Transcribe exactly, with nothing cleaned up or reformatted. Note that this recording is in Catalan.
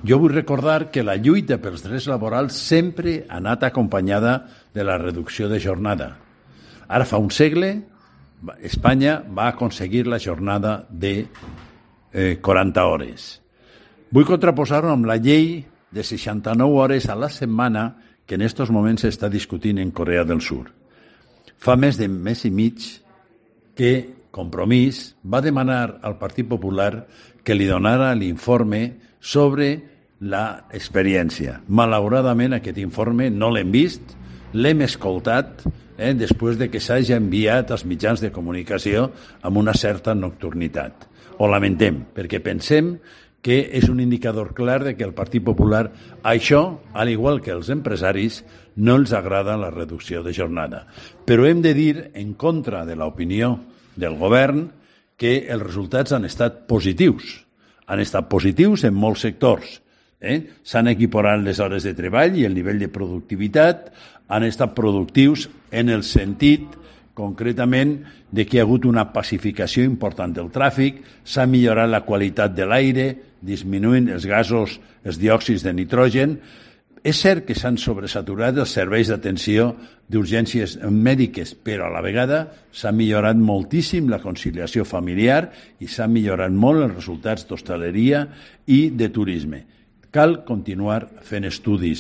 Jo vull recordar que la lluita pels drets laborals sempre ha anat acompanyada de la reducció de jornada. Ara fa un segle, Espanya va aconseguir la jornada de eh, quaranta hores. Vull contraposar-ho amb la llei de seixanta-nou hores a la setmana que en aquests moments s'està discutint en Corea del Sur. Fa més de mes i mig que Compromís va demanar al Partit Popular que li donara l'informe sobre l'experiència. Malauradament aquest informe no l'hem vist, l'hem escoltat eh, després de que s'hagi enviat als mitjans de comunicació amb una certa nocturnitat. Ho lamentem, perquè pensem que és un indicador clar de que el Partit Popular, això, al igual que els empresaris, no els agrada la reducció de jornada. Però hem de dir, en contra de l'opinió del govern, que els resultats han estat positius. Han estat positius en molts sectors. Eh? S'han equiparat les hores de treball i el nivell de productivitat, han estat productius en el sentit, concretament, de que hi ha hagut una pacificació important del tràfic, s'ha millorat la qualitat de l'aire, disminuint els gasos, els diòxids de nitrogen. És cert que s'han sobresaturat els serveis d'atenció d'urgències mèdiques, però a la vegada s'ha millorat moltíssim la conciliació familiar i s'han millorat molt els resultats d'hostaleria i de turisme. Cal continuar fent estudis